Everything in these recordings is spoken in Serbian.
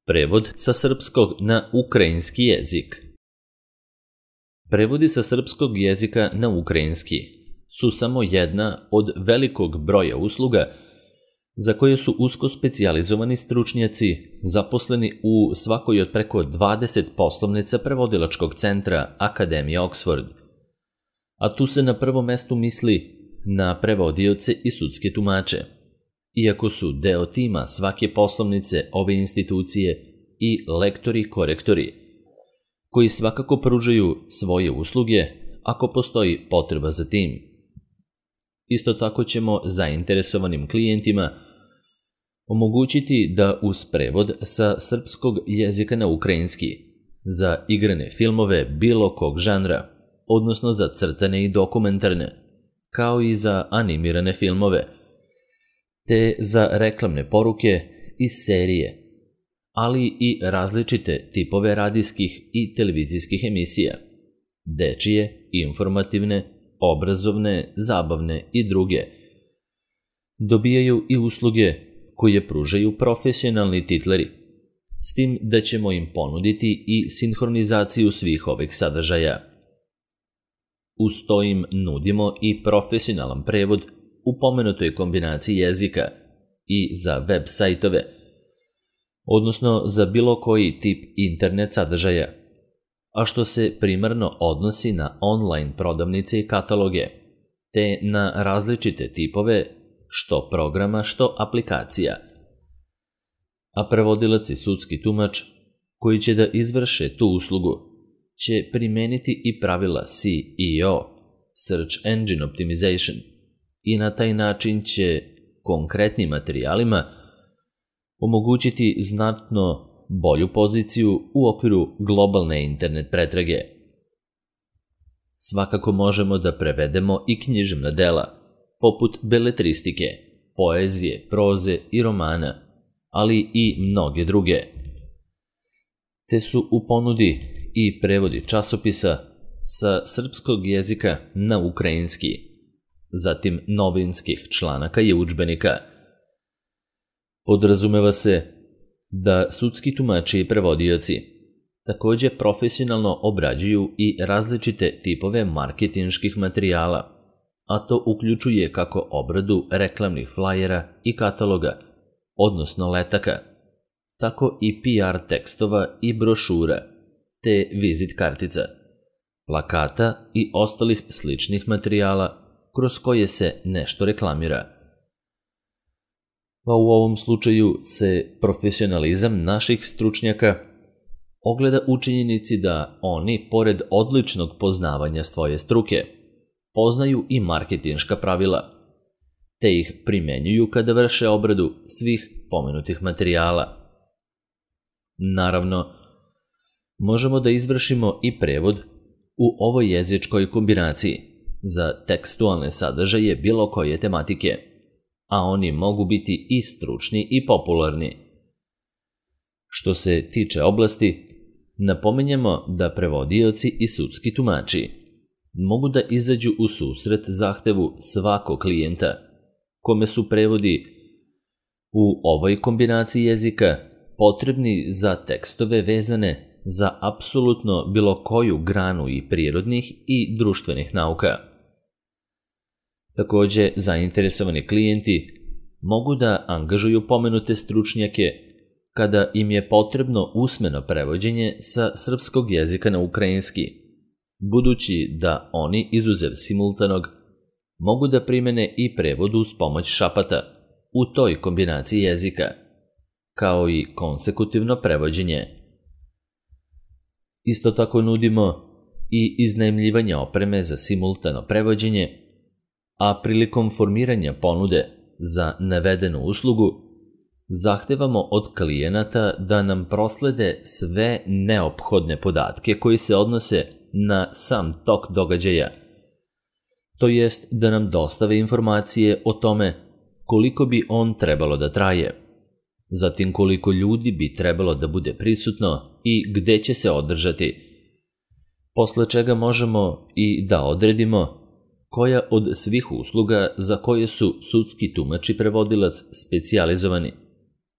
Prevod sa srpskog na ukrajinski jezik. Prevodi sa srpskog jezika na ukrajinski su samo jedna od velikog broja usluga za koje su usko specijalizovani stručnjaci zaposleni u svakoj od preko 20 poslovnica prevodilačkog centra Akademije Oxford. A tu se na prvom mestu misli na prevodioce i sudske tumače, iako su deo tima svake poslovnice ove institucije i lektori-korektori, koji svakako pružaju svoje usluge ako postoji potreba za tim. Isto tako ćemo zainteresovanim klijentima omogućiti da uz prevod sa srpskog jezika na ukrajinski za igrane filmove bilo kog žanra, odnosno za crtane i dokumentarne, kao i za animirane filmove, te za reklamne poruke i serije, ali i različite tipove radijskih i televizijskih emisija, dečije, informativne, obrazovne, zabavne i druge. Dobijaju i usluge koje pružaju profesionalni titleri, s tim da ćemo im ponuditi i sinhronizaciju svih ovih sadržaja. Uz to im nudimo i profesionalan prevod u pomenutoj kombinaciji jezika i za web sajtove, odnosno za bilo koji tip internet sadržaja, a što se primarno odnosi na online prodavnice i kataloge, te na različite tipove što programa, što aplikacija. A prevodilac i sudski tumač koji će da izvrše tu uslugu će primeniti i pravila SEO, Search Engine Optimization, i na taj način će konkretnim materijalima omogućiti znatno bolju poziciju u okviru globalne internet pretrage. Svakako možemo da prevedemo i književna dela, poput beletristike, poezije, proze i romana, ali i mnoge druge. Te su u ponudi i prevodi časopisa sa srpskog jezika na ukrajinski, zatim novinskih članaka i udžbenika. Podrazumeva se da sudski tumači i prevodioci takođe profesionalno obrađuju i različite tipove marketinških materijala, a to uključuje kako obradu reklamnih flajera i kataloga, odnosno letaka, tako i PR tekstova i brošura, te vizit kartica, plakata i ostalih sličnih materijala kroz koje se nešto reklamira. Pa u ovom slučaju se profesionalizam naših stručnjaka ogleda u činjenici da oni, pored odličnog poznavanja svoje struke, poznaju i marketinška pravila, te ih primenjuju kada vrše obradu svih pomenutih materijala. Naravno, možemo da izvršimo i prevod u ovoj jezičkoj kombinaciji za tekstualne sadržaje bilo koje tematike, a oni mogu biti i stručni i popularni. Što se tiče oblasti, napominjemo da prevodioci i sudski tumači mogu da izađu u susret zahtevu svakog klijenta, kome su prevodi u ovoj kombinaciji jezika potrebni za tekstove vezane za apsolutno bilo koju granu i prirodnih i društvenih nauka. Takođe, zainteresovani klijenti mogu da angažuju pomenute stručnjake kada im je potrebno usmeno prevođenje sa srpskog jezika na ukrajinski, budući da oni, izuzev simultanog, mogu da primene i prevod uz pomoć šapata u toj kombinaciji jezika, kao i konsekutivno prevođenje. Isto tako nudimo i iznajmljivanje opreme za simultano prevođenje, a prilikom formiranja ponude za navedenu uslugu zahtevamo od klijenata da nam proslede sve neophodne podatke koji se odnose na sam tok događaja, to jest da nam dostave informacije o tome koliko bi on trebalo da traje, zatim koliko ljudi bi trebalo da bude prisutno i gde će se održati, posle čega možemo i da odredimo koja od svih usluga za koje su sudski tumač i prevodilac specijalizovani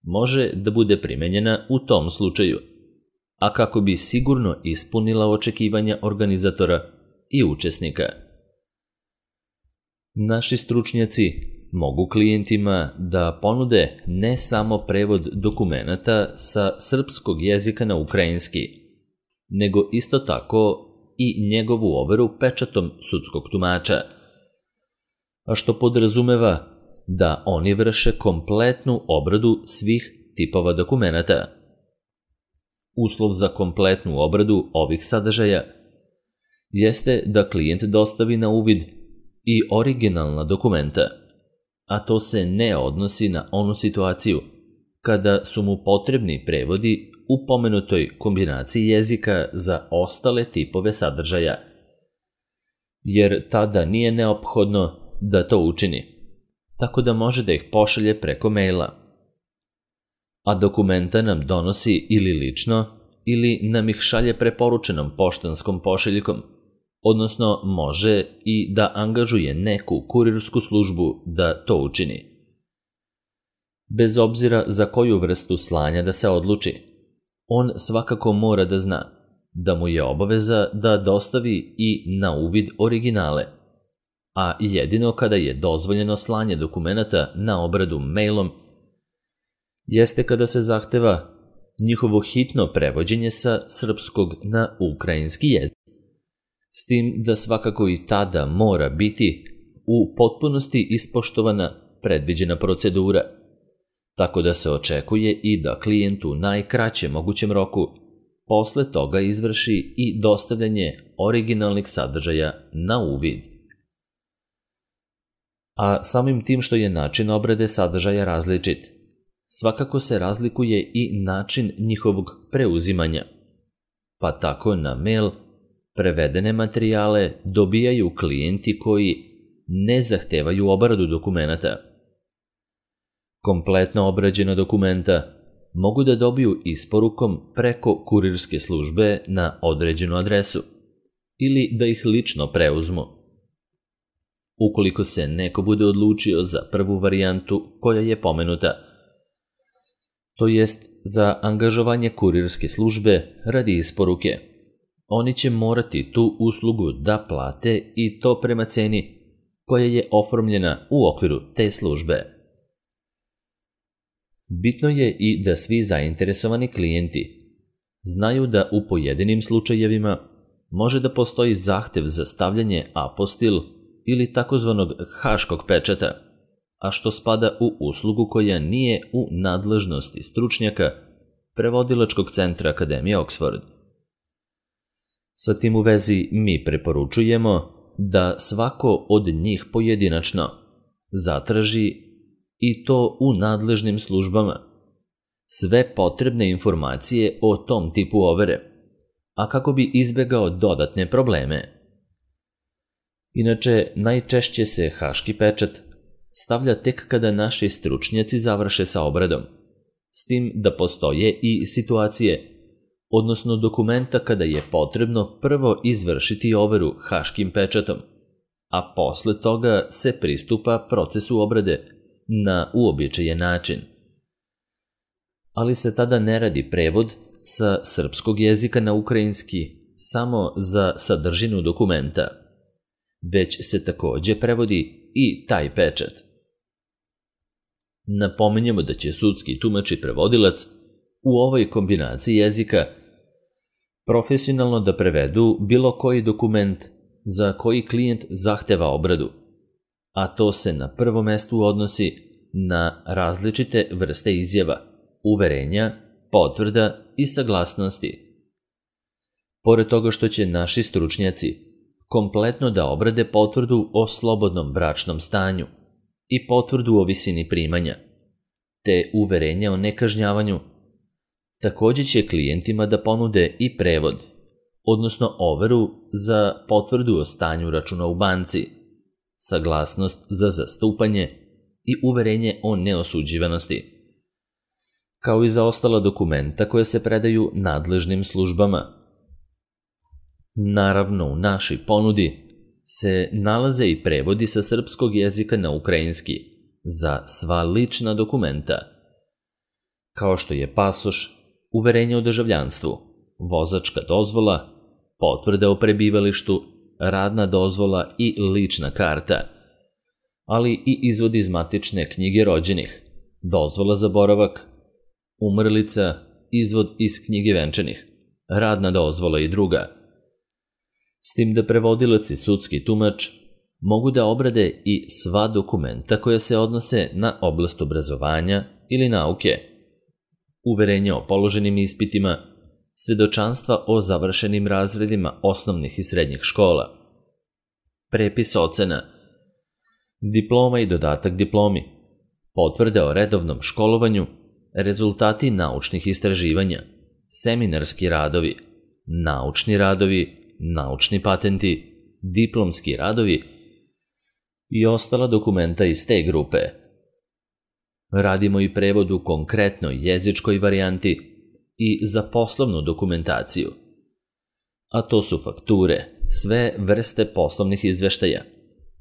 može da bude primenjena u tom slučaju, a kako bi sigurno ispunila očekivanja organizatora i učesnika. Naši stručnjaci mogu klijentima da ponude ne samo prevod dokumenata sa srpskog jezika na ukrajinski, nego isto tako i njegovu overu pečatom sudskog tumača, a što podrazumeva da oni vrše kompletnu obradu svih tipova dokumenata. Uslov za kompletnu obradu ovih sadržaja jeste da klijent dostavi na uvid i originalna dokumenta, a to se ne odnosi na onu situaciju kada su mu potrebni prevodi u pomenutoj kombinaciji jezika za ostale tipove sadržaja, jer tada nije neophodno da to učini, tako da može da ih pošalje preko maila. A dokumenta nam donosi ili lično, ili nam ih šalje preporučenom poštanskom pošiljkom, odnosno može i da angažuje neku kurirsku službu da to učini. Bez obzira za koju vrstu slanja da se odluči, on svakako mora da zna da mu je obaveza da dostavi i na uvid originale, a jedino kada je dozvoljeno slanje dokumenata na obradu mailom jeste kada se zahteva njihovo hitno prevođenje sa srpskog na ukrajinski jezik. S tim da svakako i tada mora biti u potpunosti ispoštovana predviđena procedura, tako da se očekuje i da klijent u najkraćem mogućem roku posle toga izvrši i dostavljanje originalnih sadržaja na uvid. A samim tim što je način obrade sadržaja različit, svakako se razlikuje i način njihovog preuzimanja, pa tako na mail prevedene materijale dobijaju klijenti koji ne zahtevaju obradu dokumenata. Kompletno obrađena dokumenta mogu da dobiju isporukom preko kurirske službe na određenu adresu ili da ih lično preuzmu. Ukoliko se neko bude odlučio za prvu varijantu koja je pomenuta, to jest za angažovanje kurirske službe radi isporuke, oni će morati tu uslugu da plate i to prema ceni koja je oformljena u okviru te službe. Bitno je i da svi zainteresovani klijenti znaju da u pojedinim slučajevima može da postoji zahtev za stavljanje apostil ili takozvanog haškog pečata, a što spada u uslugu koja nije u nadležnosti stručnjaka Prevodilačkog centra Akademije Oxford. Sa tim u vezi mi preporučujemo da svako od njih pojedinačno zatraži, i to u nadležnim službama, sve potrebne informacije o tom tipu overe, a kako bi izbegao dodatne probleme. Inače, najčešće se haški pečat stavlja tek kada naši stručnjaci završe sa obradom, s tim da postoje i situacije, odnosno dokumenta kada je potrebno prvo izvršiti overu haškim pečatom, a posle toga se pristupa procesu obrade na uobičajen način. Ali se tada ne radi prevod sa srpskog jezika na ukrajinski samo za sadržinu dokumenta, već se takođe prevodi i taj pečat. Napominjemo da će sudski tumač i prevodilac u ovoj kombinaciji jezika profesionalno da prevedu bilo koji dokument za koji klijent zahteva obradu, a to se na prvom mestu odnosi na različite vrste izjava, uverenja, potvrda i saglasnosti. Pored toga što će naši stručnjaci kompletno da obrade potvrdu o slobodnom bračnom stanju i potvrdu o visini primanja, te uverenja o nekažnjavanju, takođe će klijentima da ponude i prevod, odnosno overu za potvrdu o stanju računa u banci, saglasnost za zastupanje i uverenje o neosuđivanosti, kao i za ostala dokumenta koje se predaju nadležnim službama. Naravno, u našoj ponudi se nalaze i prevodi sa srpskog jezika na ukrajinski za sva lična dokumenta. kao što je pasoš, uverenje o državljanstvu, vozačka dozvola, potvrda o prebivalištu, radna dozvola i lična karta, ali i izvod iz matične knjige rođenih, dozvola za boravak, umrlica, izvod iz knjige venčanih, radna dozvola i druga. S tim da prevodilac i sudski tumač mogu da obrade i sva dokumenta koja se odnose na oblast obrazovanja ili nauke, uverenje o položenim ispitima, svedočanstva o završenim razredima osnovnih i srednjih škola, prepis ocena, diploma i dodatak diplomi, potvrde o redovnom školovanju, rezultati naučnih istraživanja, seminarski radovi, naučni patenti, diplomski radovi i ostala dokumenta iz te grupe. Radimo i prevod u konkretnoj jezičkoj varijanti i za poslovnu dokumentaciju, a to su fakture, sve vrste poslovnih izveštaja,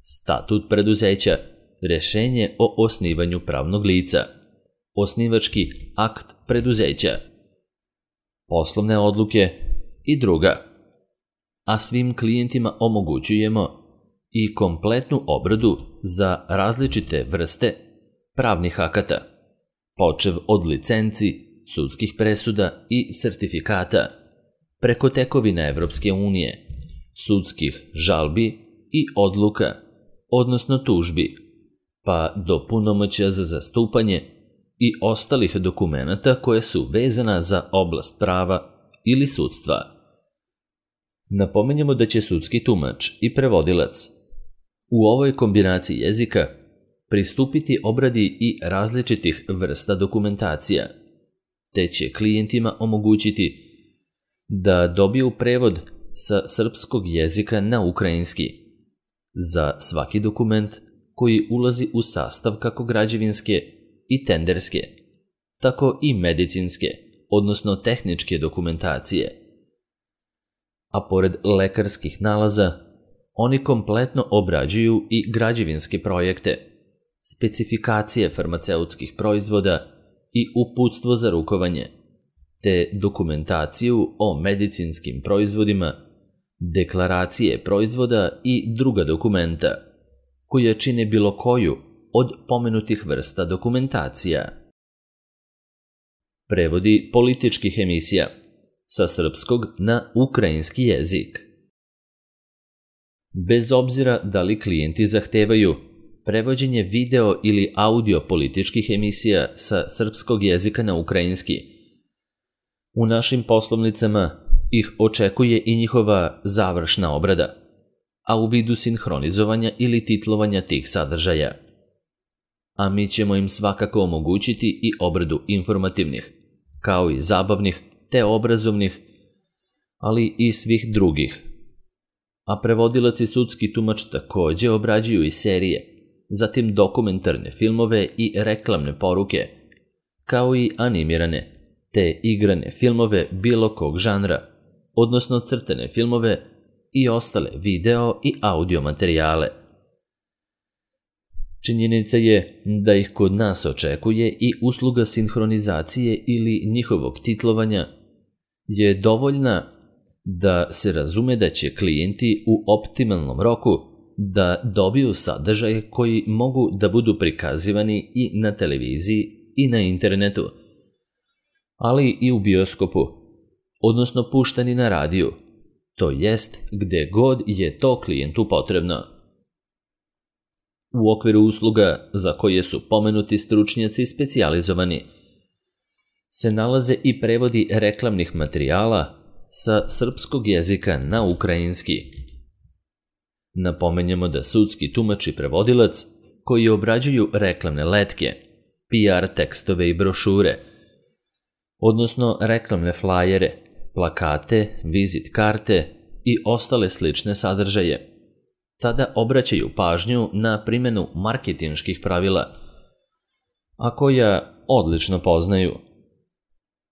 statut preduzeća, rešenje o osnivanju pravnog lica, osnivački akt preduzeća, poslovne odluke i druga. A svim klijentima omogućujemo i kompletnu obradu za različite vrste pravnih akata, počev od licenci, sudskih presuda i sertifikata, preko tekovina Evropske unije, sudskih žalbi i odluka, odnosno tužbi, pa do punomoćja za zastupanje i ostalih dokumenata koje su vezana za oblast prava ili sudstva. Napomenjamo da će sudski tumač i prevodilac u ovoj kombinaciji jezika pristupiti obradi i različitih vrsta dokumentacija, te će klijentima omogućiti da dobiju prevod sa srpskog jezika na ukrajinski za svaki dokument koji ulazi u sastav kako građevinske i tenderske, tako i medicinske, odnosno tehničke dokumentacije. A pored lekarskih nalaza, oni kompletno obrađuju i građevinske projekte, specifikacije farmaceutskih proizvoda i uputstvo za rukovanje, te dokumentaciju o medicinskim proizvodima, deklaracije proizvoda i druga dokumenta, koja čine bilo koju od pomenutih vrsta dokumentacija. Prevodi političkih emisija sa srpskog na ukrajinski jezik. Bez obzira da li klijenti zahtevaju prevođenje video ili audio političkih emisija sa srpskog jezika na ukrajinski, u našim poslovnicama ih očekuje i njihova završna obrada, a u vidu sinhronizovanja ili titlovanja tih sadržaja. A mi ćemo im svakako omogućiti i obradu informativnih, kao i zabavnih te obrazovnih, ali i svih drugih. A prevodilac i sudski tumač takođe obrađuju i serije, zatim dokumentarne filmove i reklamne poruke, kao i animirane te igrane filmove bilo kog žanra, odnosno crtane filmove i ostale video i audio materijale. Činjenica je da ih kod nas očekuje i usluga sinhronizacije ili njihovog titlovanja je dovoljna da se razume da će klijenti u optimalnom roku da dobiju sadržaje koji mogu da budu prikazivani i na televiziji i na internetu, ali i u bioskopu, odnosno puštani na radiju, to jest gde god je to klijentu potrebno. U okviru usluga za koje su pomenuti stručnjaci specijalizovani se nalaze i prevodi reklamnih materijala sa srpskog jezika na ukrajinski. Napomenjemo da sudski tumač i prevodilac koji obrađuju reklamne letke, PR tekstove i brošure, odnosno reklamne flajere, plakate, vizit karte i ostale slične sadržaje, tada obraćaju pažnju na primjenu marketinških pravila, a koja odlično poznaju.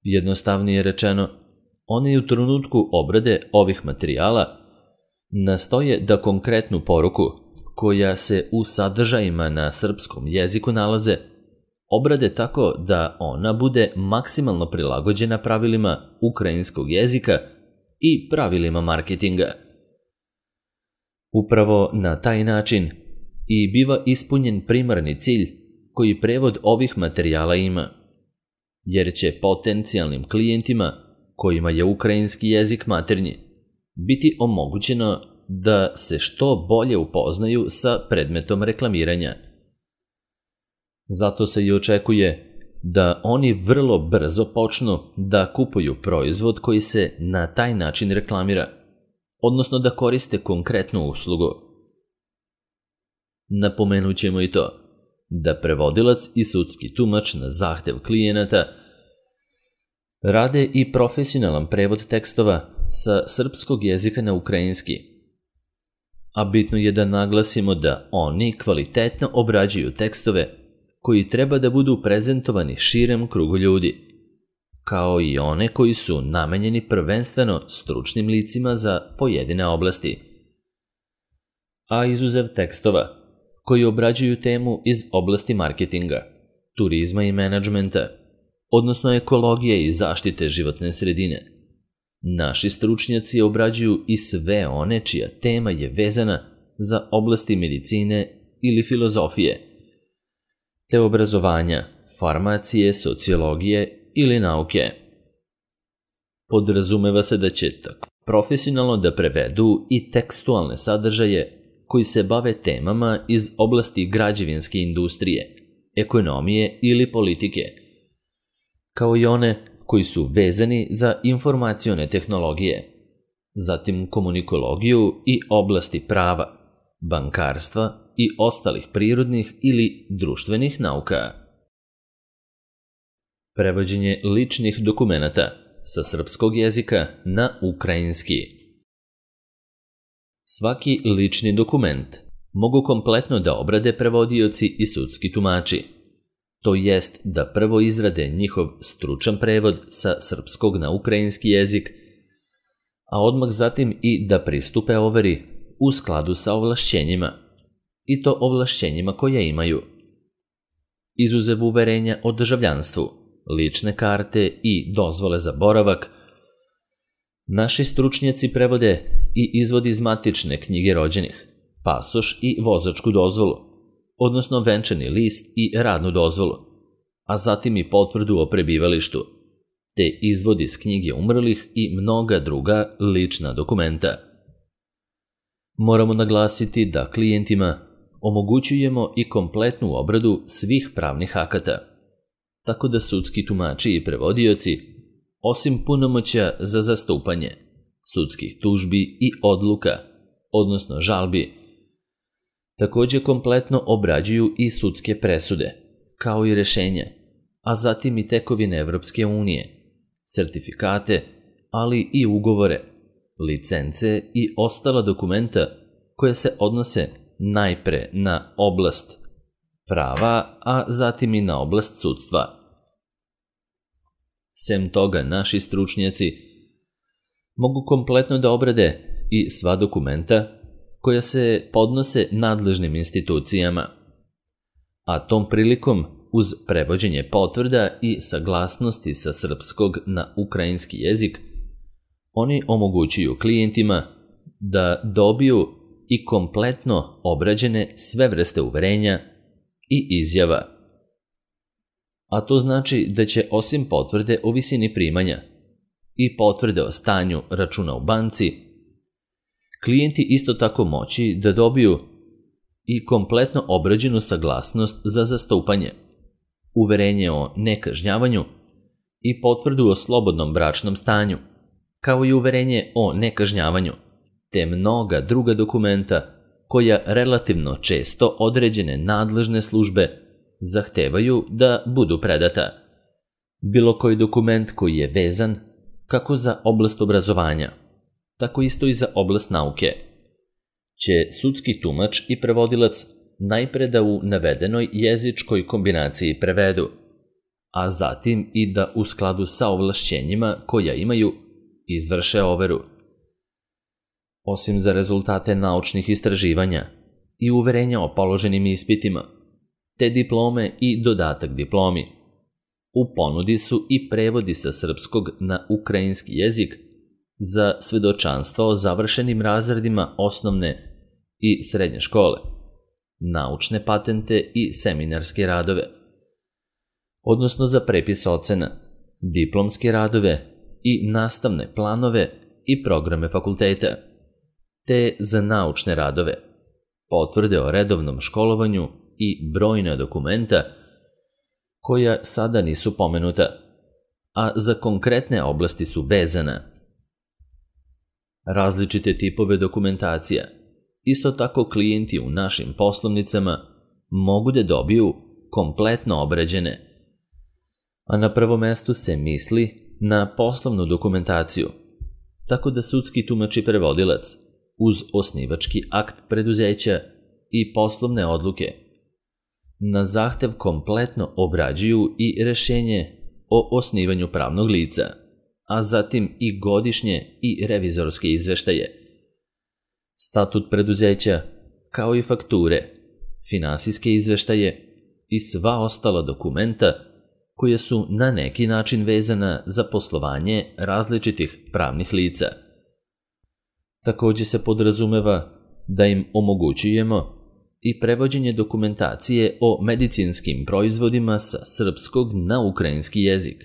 Jednostavnije rečeno, oni u trenutku obrade ovih materijala nastoje da konkretnu poruku, koja se u sadržajima na srpskom jeziku nalaze, obrade tako da ona bude maksimalno prilagođena pravilima ukrajinskog jezika i pravilima marketinga. Upravo na taj način i biva ispunjen primarni cilj koji prevod ovih materijala ima, jer će potencijalnim klijentima kojima je ukrajinski jezik maternji biti omogućeno da se što bolje upoznaju sa predmetom reklamiranja. Zato se i očekuje da oni vrlo brzo počnu da kupuju proizvod koji se na taj način reklamira, odnosno da koriste konkretnu uslugu. Napomenut ćemo i to da prevodilac i sudski tumač na zahtev klijenata rade i profesionalan prevod tekstova sa srpskog jezika na ukrajinski. A bitno je da naglasimo da oni kvalitetno obrađuju tekstove koji treba da budu prezentovani širem krugu ljudi, kao i one koji su namenjeni prvenstveno stručnim licima za pojedine oblasti. A izuzev tekstova koji obrađuju temu iz oblasti marketinga, turizma i menadžmenta, odnosno ekologije i zaštite životne sredine, naši stručnjaci obrađuju i sve one čija tema je vezana za oblasti medicine ili filozofije, te obrazovanja, farmacije, sociologije ili nauke. Podrazumeva se da će tako profesionalno da prevedu i tekstualne sadržaje koji se bave temama iz oblasti građevinske industrije, ekonomije ili politike, kao i one koji su vezani za informacione tehnologije, zatim komunikologiju i oblasti prava, bankarstva i ostalih prirodnih ili društvenih nauka. Prevođenje ličnih dokumenata sa srpskog jezika na ukrajinski. Svaki lični dokument mogu kompletno da obrade prevodioci i sudski tumači, to jest da prvo izrade njihov stručan prevod sa srpskog na ukrajinski jezik, a odmah zatim i da pristupe overi u skladu sa ovlašćenjima, i to ovlašćenjima koja imaju. Izuzev uverenja o državljanstvu, lične karte i dozvole za boravak, naši stručnjaci prevode i izvod iz matične knjige rođenih, pasoš i vozačku dozvolu, odnosno venčani list i radnu dozvolu, a zatim i potvrdu o prebivalištu, te izvod iz knjige umrlih i mnoga druga lična dokumenta. Moramo naglasiti da klijentima omogućujemo i kompletnu obradu svih pravnih akata, tako da sudski tumači i prevodioci, osim punomoćja za zastupanje, sudskih tužbi i odluka, odnosno žalbi, također kompletno obrađuju i sudske presude, kao i rešenja, a zatim i tekovine Evropske unije, sertifikate, ali i ugovore, licence i ostala dokumenta koje se odnose najpre na oblast prava, a zatim i na oblast sudstva. Sem toga, naši stručnjaci mogu kompletno da obrade i sva dokumenta koja se podnose nadležnim institucijama, a tom prilikom uz prevođenje potvrda i saglasnosti sa srpskog na ukrajinski jezik, oni omogućuju klijentima da dobiju i kompletno obrađene sve vrste uverenja i izjava. A to znači da će osim potvrde o visini primanja i potvrde o stanju računa u banci, klijenti isto tako moći da dobiju i kompletno obrađenu saglasnost za zastupanje, uverenje o nekažnjavanju i potvrdu o slobodnom bračnom stanju, kao i uverenje o nekažnjavanju, te mnoga druga dokumenta koja relativno često određene nadležne službe zahtevaju da budu predata. Bilo koji dokument koji je vezan kako za oblast obrazovanja, tako isto i za oblast nauke, će sudski tumač i prevodilac najpre da u navedenoj jezičkoj kombinaciji prevedu, a zatim i da u skladu sa ovlašćenjima koja imaju izvrše overu. Osim za rezultate naučnih istraživanja i uverenja o položenim ispitima, te diplome i dodatak diplomi. U ponudi su i prevodi sa srpskog na ukrajinski jezik za svedočanstva o završenim razredima osnovne i srednje škole, naučne patente i seminarske radove, odnosno za prepis ocena, diplomske radove i nastavne planove i programe fakulteta, te za naučne radove, potvrde o redovnom školovanju i brojna dokumenta koja sada nisu pomenuta, a za konkretne oblasti su vezana. Različite tipove dokumentacija, isto tako klijenti u našim poslovnicama mogu da dobiju kompletno obrađene, a na prvo mesto se misli na poslovnu dokumentaciju, tako da sudski tumač i prevodilac uz osnivački akt preduzeća i poslovne odluke na zahtev kompletno obrađuju i rešenje o osnivanju pravnog lica, a zatim i godišnje i revizorske izveštaje, statut preduzeća, kao i fakture, finansijske izveštaje i sva ostala dokumenta koja su na neki način vezana za poslovanje različitih pravnih lica. Takođe se podrazumeva da im omogućujemo i prevođenje dokumentacije o medicinskim proizvodima sa srpskog na ukrajinski jezik,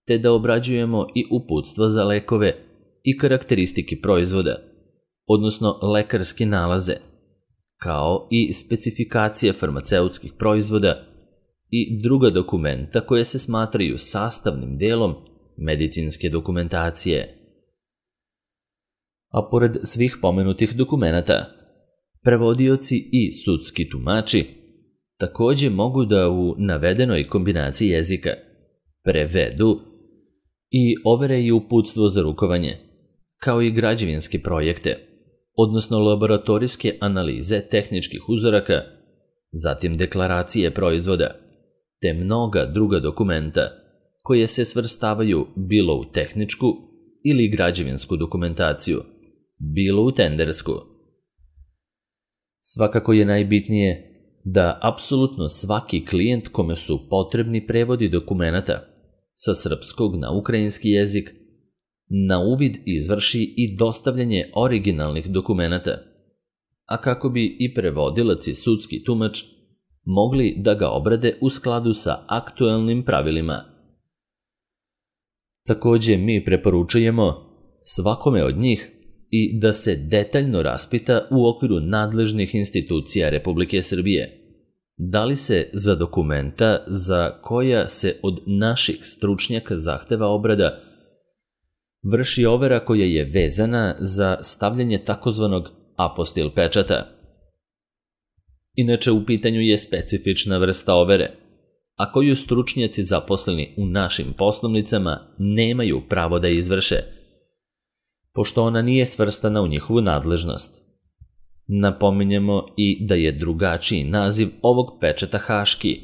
te da obrađujemo i uputstva za lekove i karakteristike proizvoda, odnosno lekarske nalaze, kao i specifikacije farmaceutskih proizvoda i druga dokumenta koje se smatraju sastavnim delom medicinske dokumentacije. A pored svih pomenutih dokumenata, prevodioci i sudski tumači takođe mogu da u navedenoj kombinaciji jezika prevedu i overe i uputstvo za rukovanje, kao i građevinske projekte, odnosno laboratorijske analize tehničkih uzoraka, zatim deklaracije proizvoda, te mnoga druga dokumenta koje se svrstavaju bilo u tehničku ili građevinsku dokumentaciju, bilo u tendersku. Svakako je najbitnije da apsolutno svaki klijent kome su potrebni prevodi dokumenata sa srpskog na ukrajinski jezik na uvid izvrši i dostavljanje originalnih dokumenata, a kako bi i prevodilac i sudski tumač mogli da ga obrade u skladu sa aktuelnim pravilima. Takođe mi preporučujemo svakome od njih i da se detaljno raspita u okviru nadležnih institucija Republike Srbije, da li se za dokumenta za koja se od naših stručnjaka zahteva obrada vrši overa koja je vezana za stavljanje takozvanog apostil pečata. Inače, u pitanju je specifična vrsta overe, a koju stručnjaci zaposleni u našim poslovnicama nemaju pravo da izvrše, pošto ona nije svrstana u njihovu nadležnost. Napominjemo i da je drugačiji naziv ovog pečata haški,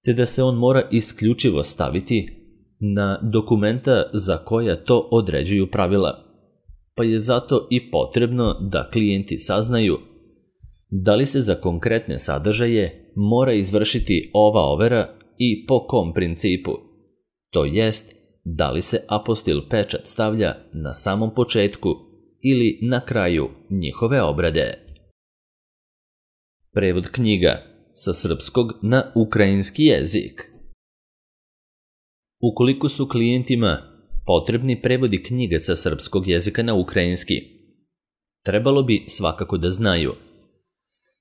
te da se on mora isključivo staviti na dokumenta za koja to određuju pravila, pa je zato i potrebno da klijenti saznaju da li se za konkretne sadržaje mora izvršiti ova overa i po kom principu, to jest da li se apostil pečat stavlja na samom početku ili na kraju njihove obrade. Prevod knjiga sa srpskog na ukrajinski jezik. Ukoliko su klijentima potrebni prevodi knjiga sa srpskog jezika na ukrajinski, trebalo bi svakako da znaju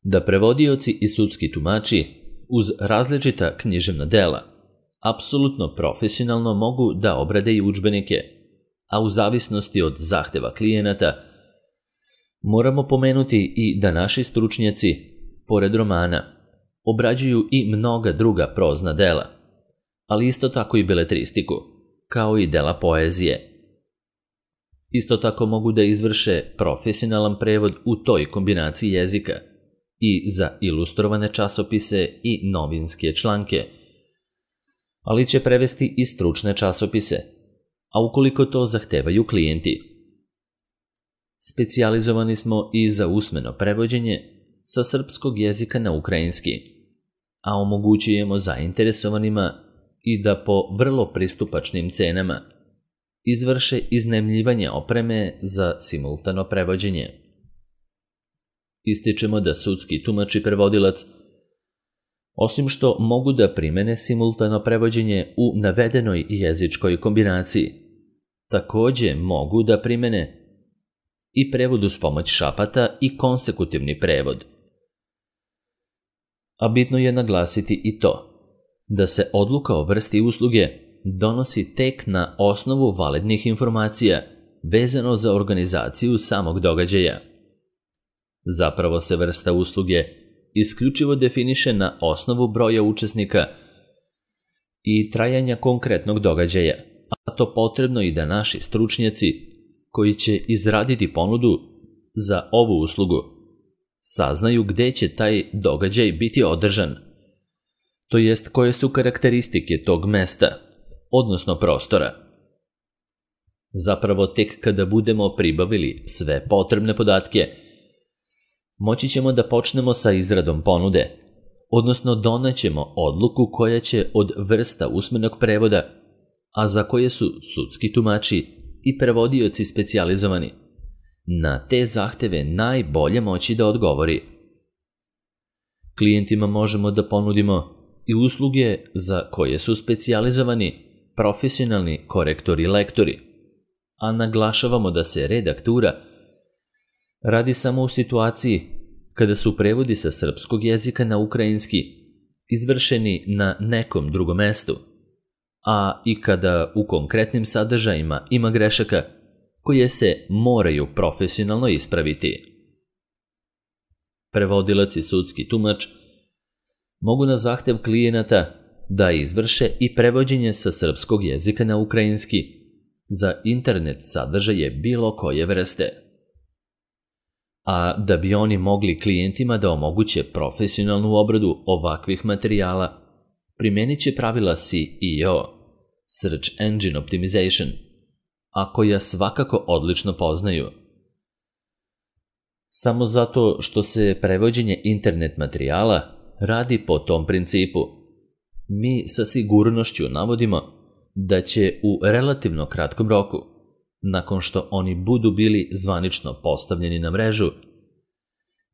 da prevodioci i sudski tumači uz različita književna dela apsolutno profesionalno mogu da obrade i udžbenike, a u zavisnosti od zahteva klijenata moramo pomenuti i da naši stručnjaci, pored romana, obrađuju i mnoga druga prozna dela, ali isto tako i beletristiku, kao i dela poezije. Isto tako mogu da izvrše profesionalan prevod u toj kombinaciji jezika i za ilustrovane časopise i novinske članke, ali će prevesti i stručne časopise, a ukoliko to zahtevaju klijenti. Specijalizovani smo i za usmeno prevođenje sa srpskog jezika na ukrajinski, a omogućujemo zainteresovanima i da po vrlo pristupačnim cenama izvrše iznajmljivanje opreme za simultano prevođenje. Ističemo da sudski tumač i prevodilac, osim što mogu da primene simultano prevođenje u navedenoj jezičkoj kombinaciji, takođe mogu da primene i prevod uz pomoć šapata i konsekutivni prevod. A bitno je naglasiti i to da se odluka o vrsti usluge donosi tek na osnovu validnih informacija vezano za organizaciju samog događaja. Zapravo se vrsta usluge isključivo definiše na osnovu broja učesnika i trajanja konkretnog događaja, a to potrebno i da naši stručnjaci koji će izraditi ponudu za ovu uslugu saznaju gde će taj događaj biti održan, to jest koje su karakteristike tog mesta, odnosno prostora. Zapravo tek kada budemo pribavili sve potrebne podatke, moći ćemo da počnemo sa izradom ponude, odnosno donećemo odluku koja će od vrsta usmenog prevoda, a za koje su sudski tumači i prevodioci specijalizovani, na te zahteve najbolje moći da odgovori. Klijentima možemo da ponudimo i usluge za koje su specijalizovani profesionalni korektori i lektori, a naglašavamo da se redaktura radi samo u situaciji kada su prevodi sa srpskog jezika na ukrajinski izvršeni na nekom drugom mestu, a i kada u konkretnim sadržajima ima grešaka koje se moraju profesionalno ispraviti. Prevodilac i sudski tumač mogu na zahtev klijenata da izvrše i prevođenje sa srpskog jezika na ukrajinski za internet sadržaje bilo koje vrste. A da bi oni mogli klijentima da omoguće profesionalnu obradu ovakvih materijala, primenit će pravila SEO, Search Engine Optimization, a koja svakako odlično poznaju. Samo zato što se prevođenje internet materijala radi po tom principu, mi sa sigurnošću navodimo da će u relativno kratkom roku, nakon što oni budu bili zvanično postavljeni na mrežu,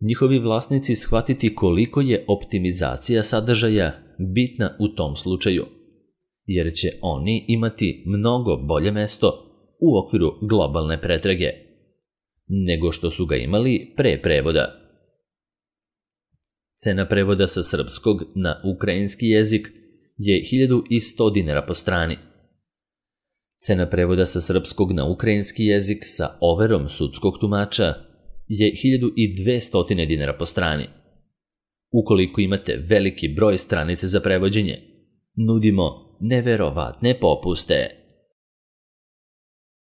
njihovi vlasnici shvatiti koliko je optimizacija sadržaja bitna u tom slučaju, jer će oni imati mnogo bolje mesto u okviru globalne pretrage, nego što su ga imali pre prevoda. Cena prevoda sa srpskog na ukrajinski jezik je 1100 dinara po strani. Cena prevoda sa srpskog na ukrajinski jezik sa overom sudskog tumača je 1200 dinara po strani. Ukoliko imate veliki broj stranice za prevođenje, nudimo neverovatne popuste.